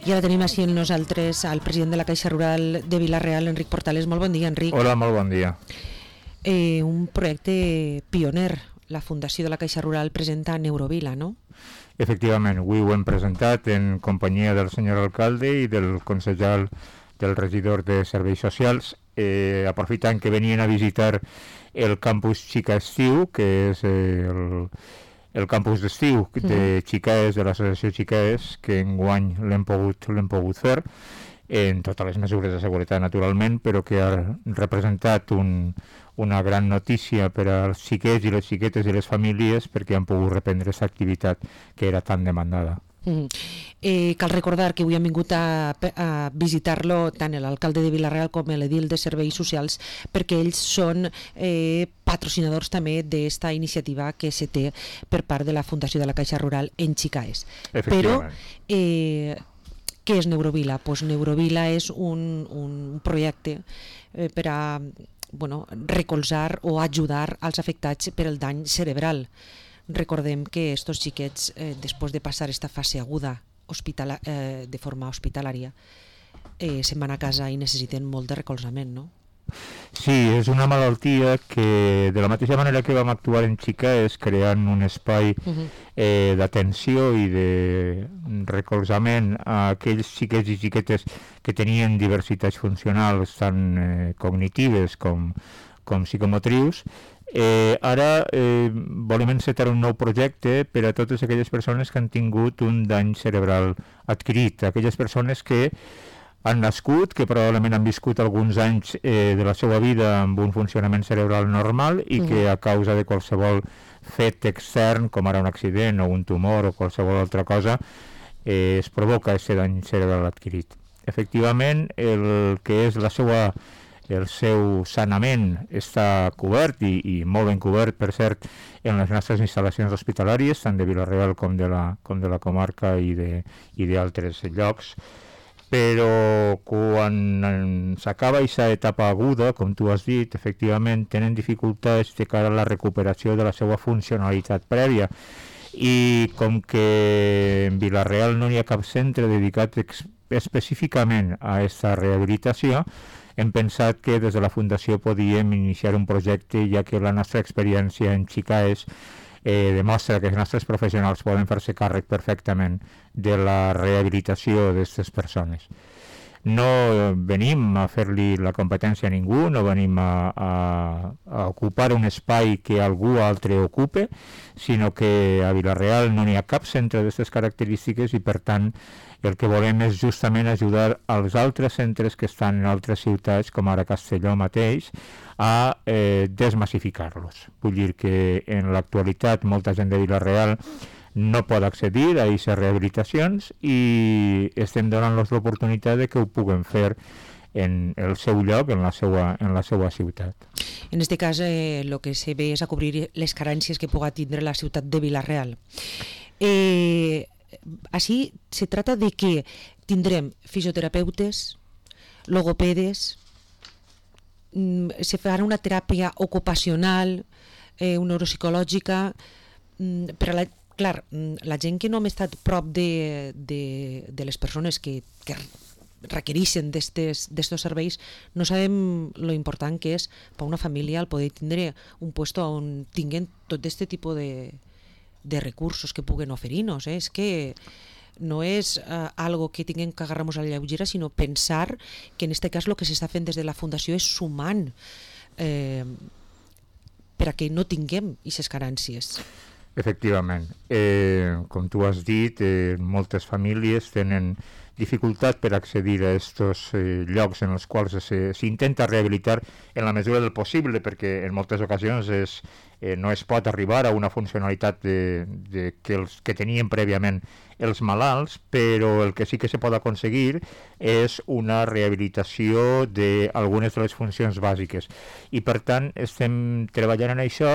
I ara tenim així amb nosaltres al president de la Caixa Rural de Vila-real, Enric Portales. Molt bon dia, Enric. Hola, molt bon dia. Un projecte pioner. La Fundació de la Caixa Rural presenta Neurovila, no? Efectivament, avui ho hem presentat en companyia del senyor alcalde i del consellal del regidor de Serveis Socials, aprofitant que venien a visitar el campus Xica Estiu, que és el campus d'estiu de Xicaes, de l'associació Xicaes, que enguany l'hem pogut fer, en totes les mesures de seguretat, naturalment, però que ha representat una gran notícia per als xiquets i les xiquetes i les famílies perquè han pogut reprendre aquesta activitat que era tan demandada. Cal recordar que avui han vingut a visitar-lo tant l'alcalde de Vila-real com l'edil de Serveis Socials, perquè ells són patrocinadors també d'esta iniciativa que se té per part de la Fundació de la Caixa Rural en Xicaes. Però què és Neurovila? Pues Neurovila és un projecte per a recolzar o ajudar als afectats per el dany cerebral. Recordem que estos xiquets, després de passar esta fase aguda de forma hospitalària, se'n van a casa i necessiten molt de recolzament, no? Sí, és una malaltia que, de la mateixa manera que vam actuar en Xicaes, creant un espai d'atenció i de recolzament a aquells xiquets i xiquetes que tenien diversitats funcionals tant cognitives com psicomotrius, ara volem encetar un nou projecte per a totes aquelles persones que han tingut un dany cerebral adquirit, aquelles persones que han nascut, que probablement han viscut alguns anys de la seva vida amb un funcionament cerebral normal i que a causa de qualsevol fet extern, com ara un accident o un tumor o qualsevol altra cosa, es provoca aquest dany cerebral adquirit. Efectivament, el que és el seu sanament està cobert i molt ben cobert, per cert, en les nostres instal·lacions hospitalàries, tant de Vila-real com de la comarca i d'altres llocs. Però quan s'acaba aquesta etapa aguda, com tu has dit, efectivament tenen dificultats de cara a la recuperació de la seva funcionalitat prèvia. I com que en Vila-real no hi ha cap centre dedicat específicament a aquesta rehabilitació, hem pensat que des de la Fundació podíem iniciar un projecte, ja que la nostra experiència en Xicaes demostra que els nostres professionals poden fer-se càrrec perfectament de la rehabilitació d'aquestes persones. No venim a fer-li la competència a ningú, no venim a ocupar un espai que algú altre ocupe, sinó que a Vila-real no n'hi ha cap centre d'aquestes característiques i, per tant, el que volem és justament ajudar als altres centres que estan en altres ciutats, com ara Castelló mateix, a desmassificar-los. Vull dir que en l'actualitat molta gent de Vila-real no pot accedir a aquestes rehabilitacions i estem donant-los l'oportunitat de que ho puguen fer en el seu lloc, en la seva ciutat. En aquest cas, el que se ve és a cobrir les carències que pugui tindre la ciutat de Vila-real. Així se trata de que tindrem fisioterapeutes, logopedes, se farà una teràpia ocupacional, neuropsicològica, per a la gent que no hem estat prop de les persones que requereixen d'estos serveis, no sabem lo important que és per a una família el poder tindre un lloc on tinguen tot aquest tipus de recursos que puguen oferir-nos. És que no és algo que tinguem que agarrar-nos a la lleugera, sinó pensar que en aquest cas el que s'està fent des de la Fundació és sumant per a que no tinguem aquestes carències. Efectivament. Com tu has dit, moltes famílies tenen dificultat per accedir a aquests llocs en els quals s'intenta rehabilitar en la mesura del possible, perquè en moltes ocasions és no es pot arribar a una funcionalitat que tenien prèviament els malalts, però el que sí que se pot aconseguir és una rehabilitació d'algunes de les funcions bàsiques. I per tant estem treballant en això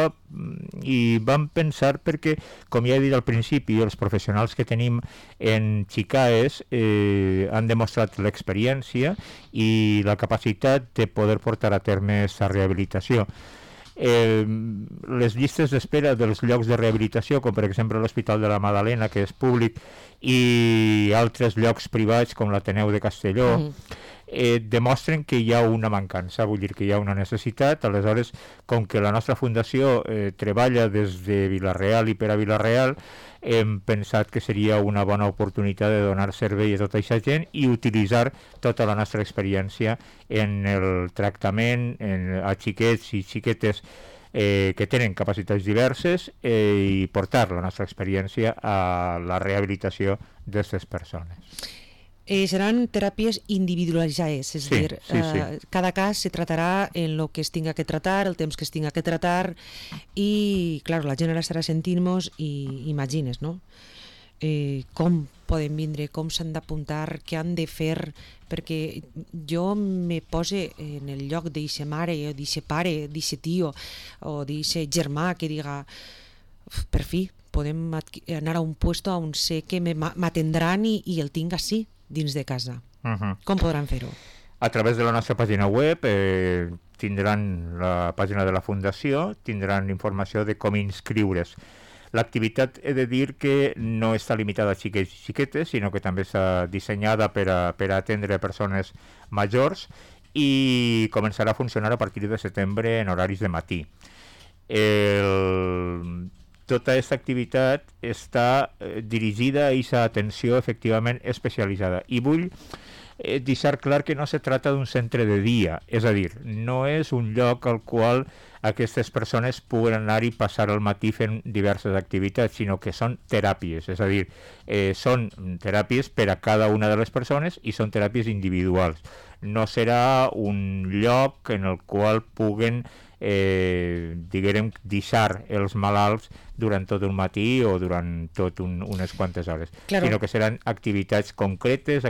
i vam pensar perquè, com ja he dit al principi, els professionals que tenim en Chicaes han demostrat l'experiència i la capacitat de poder portar a terme aquesta rehabilitació. Les llistes d'espera dels llocs de rehabilitació, com per exemple l'Hospital de la Madalena, que és públic, i altres llocs privats com l'Ateneu de Castelló, demostren que hi ha una mancança, vull dir que hi ha una necessitat. Aleshores, com que la nostra fundació treballa des de Vila-real i per a Vila-real, hem pensat que seria una bona oportunitat de donar servei a tota aquesta gent i utilitzar tota la nostra experiència en el tractament a xiquets i xiquetes que tenen capacitats diverses i portar la nostra experiència a la rehabilitació d'aquestes persones. Seran teràpies individualitzades, és dir, cada cas se tratarà en el que es tinga que tratar, el temps que es tinga que tratar, i, clar, la gent ara estarà sentint-nos i imagines, no? Com poden vindre, com s'han d'apuntar, què han de fer, perquè jo me pose en el lloc d'eixe mare, o d'eixe pare, d'eixe tio, o d'eixe germà que diga, per fi, podem anar a un puesto on sé que m'atendran i el tinc així, dins de casa. Com podran fer-ho? A través de la nostra pàgina web tindran la pàgina de la Fundació, tindran informació de com inscriure's. L'activitat, he de dir que no està limitada a xiquets i xiquetes, sinó que també està dissenyada per a atendre persones majors i començarà a funcionar a partir de setembre en horaris de matí. Tota aquesta activitat està dirigida a aquesta atenció efectivament especialitzada. I vull deixar clar que no se trata d'un centre de dia, és a dir, no és un lloc al qual aquestes persones puguen anar i passar el matí fent diverses activitats, sinó que són teràpies, és a dir, són teràpies per a cada una de les persones i són teràpies individuals. No serà un lloc en el qual puguen diguem, deixar els malalts durant tot un matí o durant tot unes quantes hores, claro, sinó que seran activitats concretes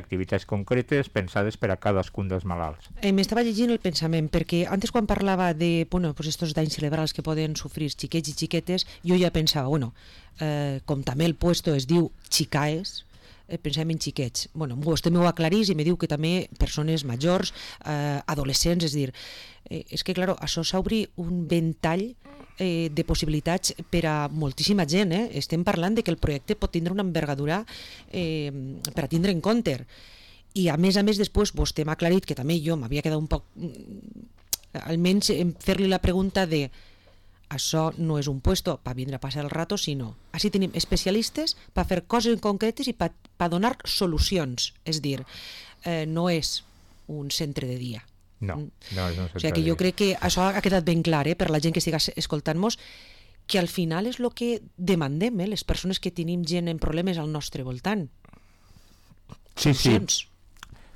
pensades per a cadascun dels malalts. M'estava llegint el pensament, perquè antes quan parlava de estos danys cerebrals que poden sofrir xiquets i xiquetes, jo ja pensava, com també el puesto es diu Chicaes, pensem en xiquets. Vostè m'ho aclarís i me diu que també persones majors, adolescents, és dir, és que, clar, això s'obri un ventall de possibilitats per a moltíssima gent. Estem parlant de que el projecte pot tindre una envergadura per a tindre en compte. I a més, després, vostè m'ha aclarit que també jo m'havia quedat un poc, almenys fer-li la pregunta de això no és un puesto per vindre a passar el rato, sinó així tenim especialistes per fer coses concretes i per donar solucions. És dir, no és un centre de dia. No és un centre de dia. O sigui que jo crec que això ha quedat ben clar per la gent que estiga escoltant-nos, que al final és el que demandem, les persones que tenim gent en problemes al nostre voltant. Sí.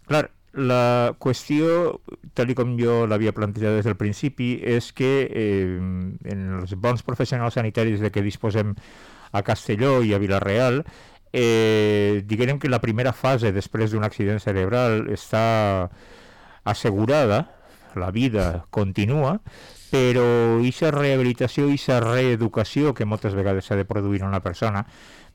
Clar, la qüestió, tal com jo l'havia plantejat des del principi, és que en els bons professionals sanitaris de què disposem a Castelló i a Vila-real, diguem que la primera fase després d'un accident cerebral està assegurada, la vida continua, però aquesta rehabilitació i aquesta reeducació que moltes vegades s'ha de produir en una persona,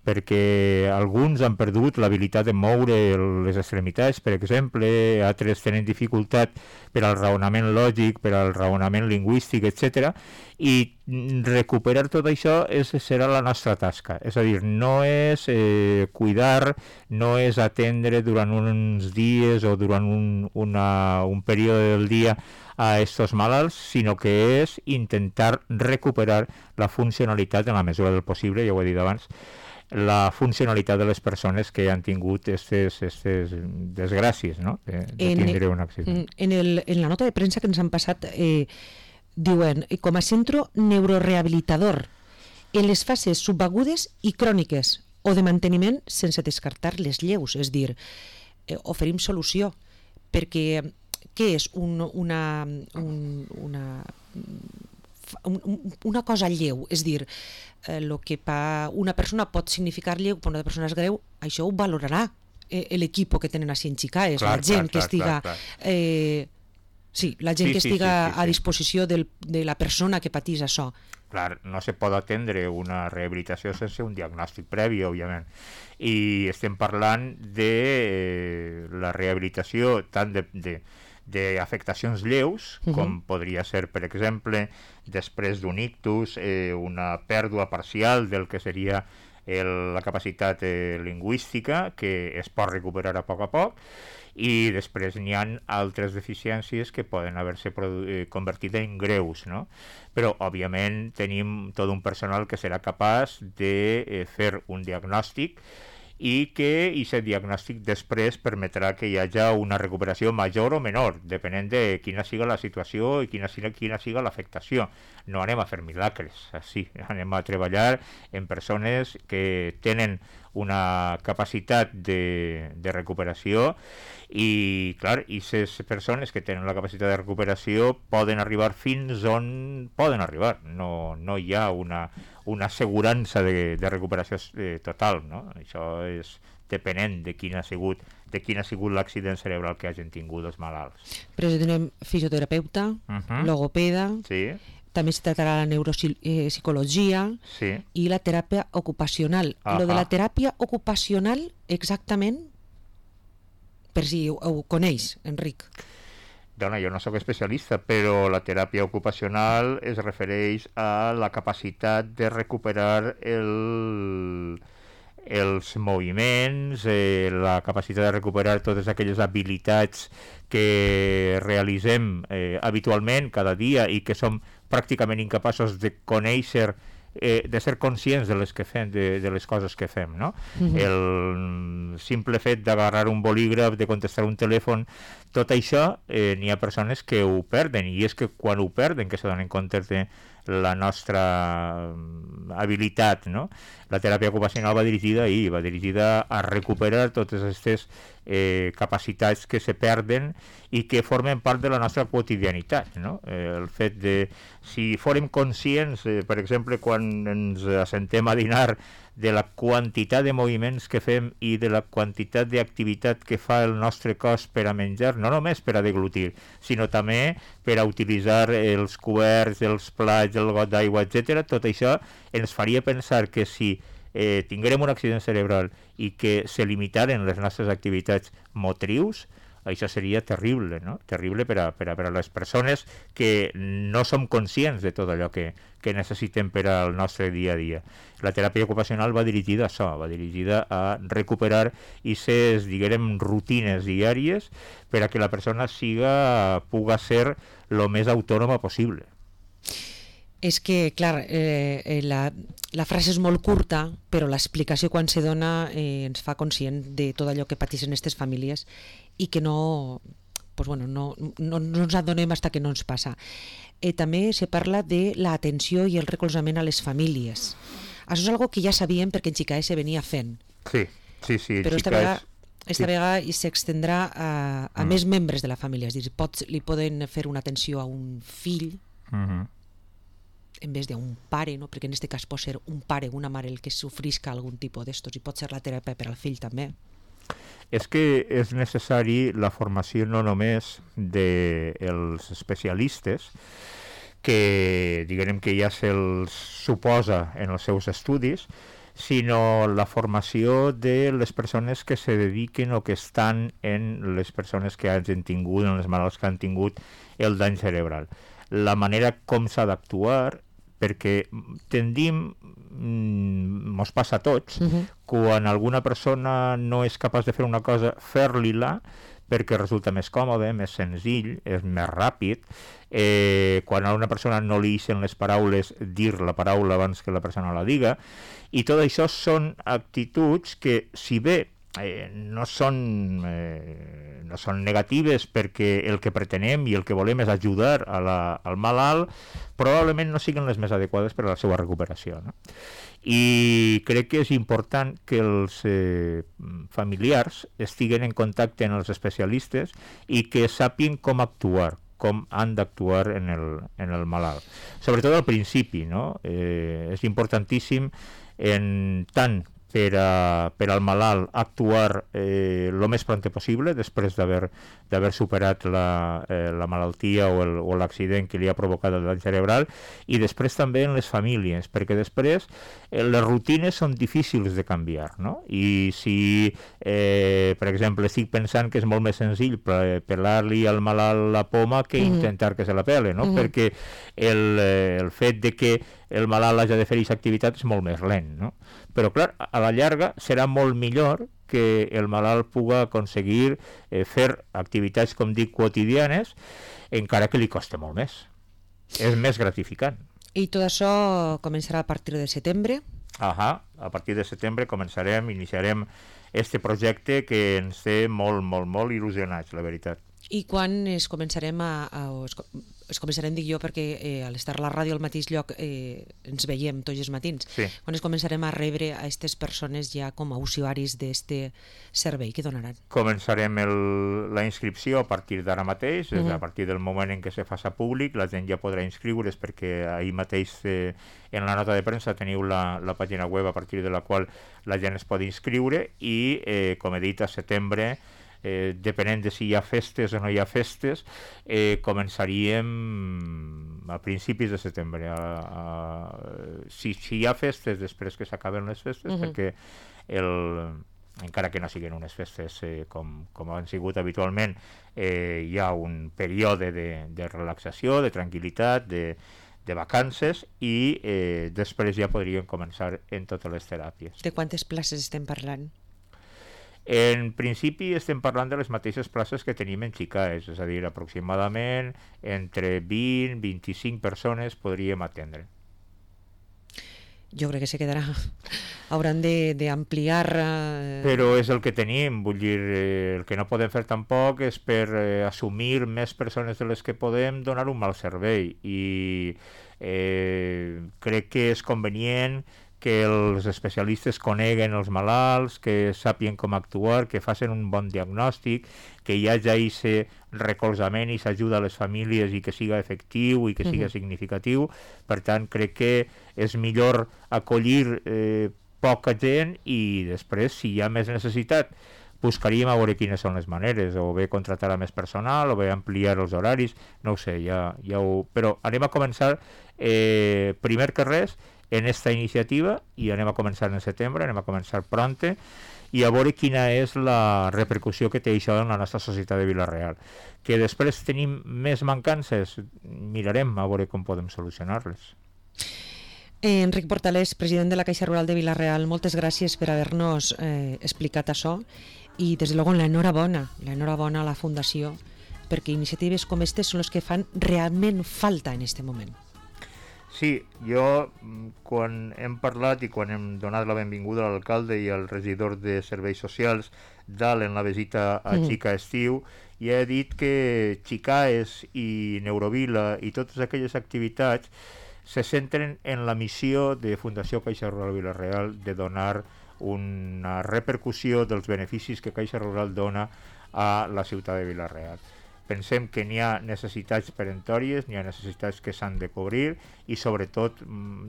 perquè alguns han perdut l'habilitat de moure les extremitats, per exemple, altres tenen dificultat per al raonament lògic, per al raonament lingüístic, etc. I recuperar tot això serà la nostra tasca. És a dir, no és cuidar, no és atendre durant uns dies o durant un període del dia a estos malalts, sinó que és intentar recuperar la funcionalitat en la mesura del possible, ja ho he dit abans, la funcionalitat de les persones que han tingut aquestes desgràcies, no? de tindre un accident. En la nota de premsa que ens han passat diuen, com a centre neurorehabilitador en les fases subagudes i cròniques o de manteniment sense descartar les lleus, és dir, oferim solució, perquè què és una una cosa lleu, és dir, el que per una persona pot significar lleu, per una persona és greu, això ho valorarà l'equip que tenen així en Chicaes, la gent que estiga... Sí, la gent que estiga a disposició de la persona que patís això. Clar, no se pot atendre una rehabilitació sense un diagnòstic previ, òbviament. I estem parlant de la rehabilitació tant d'afectacions lleus, com podria ser, per exemple, després d'un ictus, una pèrdua parcial del que seria la capacitat lingüística, que es pot recuperar a poc, i després n'hi ha altres deficiències que poden haver-se convertit en greus, no? Però, òbviament, tenim tot un personal que serà capaç de fer un diagnòstic i que aquest diagnòstic després permetrà que hi hagi una recuperació major o menor, depenent de quina siga la situació i quina siga l'afectació. No anem a fer milagres, així. Anem a treballar en persones que tenen una capacitat de recuperació i, clar, aquestes persones que tenen la capacitat de recuperació poden arribar fins on poden arribar. No hi ha una assegurança de recuperació total, no? Això és depenent de quin ha sigut l'accident cerebral que hagin tingut els malalts. Però tenim fisioterapeuta, logopeda, també es tractarà la neuropsicologia i la teràpia ocupacional. Lo de la teràpia ocupacional, exactament, per si ho coneix, Enric. Dona, jo no sóc especialista, però la teràpia ocupacional es refereix a la capacitat de recuperar els moviments, la capacitat de recuperar totes aquelles habilitats que realitzem habitualment cada dia i que som pràcticament incapaços de conèixer, de ser conscients de les que fem, de les coses que fem, no? El simple fet d'agarrar un bolígraf, de contestar un telèfon, tot això n'hi ha persones que ho perden, i és que quan ho perden que se donen compte de la nostra habilitat, no? La teràpia ocupacional va dirigida a recuperar totes aquestes capacitats que se perden i que formen part de la nostra quotidianitat, no? El fet de, si fórem conscients, per exemple, quan ens assentem a dinar, de la quantitat de moviments que fem i de la quantitat d'activitat que fa el nostre cos per a menjar, no només per a deglutir, sinó també per a utilitzar els coberts, els plats, el got d'aigua, etc. Tot això ens faria pensar que si tinguérem un accident cerebral i que se limitaren les nostres activitats motrius, això seria terrible, no? Terrible per a les persones que no som conscients de tot allò que necessitem per al nostre dia a dia. La teràpia ocupacional va dirigida a això, va dirigida a recuperar aquestes, diguem, rutines diàries per a que la persona puga ser el més autònoma possible. És que, clar, la frase és molt curta, però l'explicació quan se dona ens fa conscient de tot allò que pateixen aquestes famílies i que no ens adonem fins que no ens passa. També se parla de l'atenció i el recolzament a les famílies. Això és una que ja sabíem perquè en Chicaes se venia fent. Sí. Però esta vegada s'extendrà a més membres de la família. És dir, li poden fer una atenció a un fill en vez d'un pare, no? Perquè en aquest cas pot ser un pare o una mare el que sofrisca algun tipus d'estos i pot ser la teràpia per al fill també. És que és necessari la formació no només dels especialistes, que diguem que ja se'ls suposa en els seus estudis, sinó la formació de les persones que se dediquen o que estan en les persones que hagin tingut, en els malalts que han tingut el dany cerebral. La manera com s'ha d'actuar, perquè tendim, mos passa a tots, quan alguna persona no és capaç de fer una cosa, fer-li-la, perquè resulta més còmode, més senzill, és més ràpid. Quan a una persona no li ixen les paraules, dir la paraula abans que la persona la diga. I tot això són actituds que, si bé no són negatives perquè el que pretenem i el que volem és ajudar al malalt, probablement no siguin les més adequades per a la seva recuperació, no? I crec que és important que els familiars estiguen en contacte amb els especialistes i que sàpien com actuar com han d'actuar en el malalt. Sobretot al principi, no? És importantíssim tant per al malalt actuar el més pront possible després d'haver superat la malaltia o l'accident que li ha provocat el dany cerebral, i després també en les famílies, perquè després les rutines són difícils de canviar, no? I si, per exemple, estic pensant que és molt més senzill pelar-li al malalt la poma que intentar que se la pele, no? Perquè el fet de que el malalt hagi de fer aquesta activitat és molt més lent, no? Però clar, a la llarga serà molt millor que el malalt pugui aconseguir fer activitats, com dic, quotidianes, encara que li costa molt més. És més gratificant. I tot això començarà a partir de setembre? A partir de setembre iniciarem este projecte que ens té molt, molt, molt il·lusionats, la veritat. I quan es començarem es començarem, dic jo, perquè a l'estar a la ràdio al mateix lloc ens veiem tots els matins. Sí. Quan es començarem a rebre a aquestes persones ja com a usuaris d'aquest servei que donaran? Començarem la inscripció a partir d'ara mateix, a partir del moment en què se faça públic, la gent ja podrà inscriure's, perquè ahir mateix en la nota de premsa teniu la pàgina web a partir de la qual la gent es pot inscriure, i com he dit, a setembre, depenent de si hi ha festes o no hi ha festes, començaríem a principis de setembre. Si hi ha festes, després que s'acaben les festes, perquè encara que no siguin unes festes com han sigut habitualment, hi ha un període de relaxació, de tranquil·litat, de vacances, i després ja podríem començar en totes les teràpies. De quantes places estem parlant? En principi estem parlant de les mateixes places que tenim en Xicaes, és a dir, aproximadament entre 20 i 25 persones podríem atendre. Jo crec que se quedarà. Hauran d'ampliar... Però és el que tenim, vull dir, el que no podem fer tampoc és per assumir més persones de les que podem donar un mal servei, i crec que és convenient que els especialistes coneguen els malalts, que sàpien com actuar, que facin un bon diagnòstic, que hi hagi aquest recolzament i s'ajuda a les famílies i que siga efectiu i que siga significatiu. Per tant, crec que és millor acollir poca gent, i després, si hi ha més necessitat, buscaríem a veure quines són les maneres, o bé contratar a més personal, o bé ampliar els horaris, no ho sé, però anem a començar, primer que res, en esta iniciativa, i anem a començar en setembre, anem a començar pronte, i a veure quina és la repercussió que té això en la nostra societat de Vila-real. Que després tenim més mancances, mirarem a veure com podem solucionar-les. Enric Portalés, president de la Caixa Rural de Vila-real, moltes gràcies per haver-nos explicat això, i des de luego l'enhorabona a la Fundació, perquè iniciatives com aquestes són les que fan realment falta en aquest moment. Sí, jo, quan hem parlat i quan hem donat la benvinguda a l'alcalde i al regidor de Serveis Socials dalt en la visita a Xica estiu, ja he dit que Xicaes i Neurovila i totes aquelles activitats se centren en la missió de Fundació Caixa Rural Vila-real de donar una repercussió dels beneficis que Caixa Rural dona a la ciutat de Vila-real. Pensem que n'hi ha necessitats peremptòries, n'hi ha necessitats que s'han de cobrir, i sobretot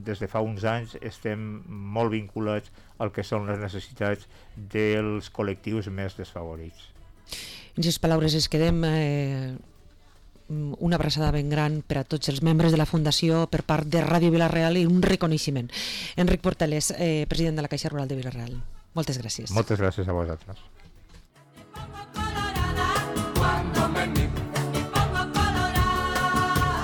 des de fa uns anys estem molt vinculats al que són les necessitats dels col·lectius més desfavorits. En aquestes paraules es quedem una abraçada ben gran per a tots els membres de la Fundació per part de Ràdio Vila-real, i un reconeixement. Enric Portalés, president de la Caixa Rural de Vila-real. Moltes gràcies. Moltes gràcies a vosaltres.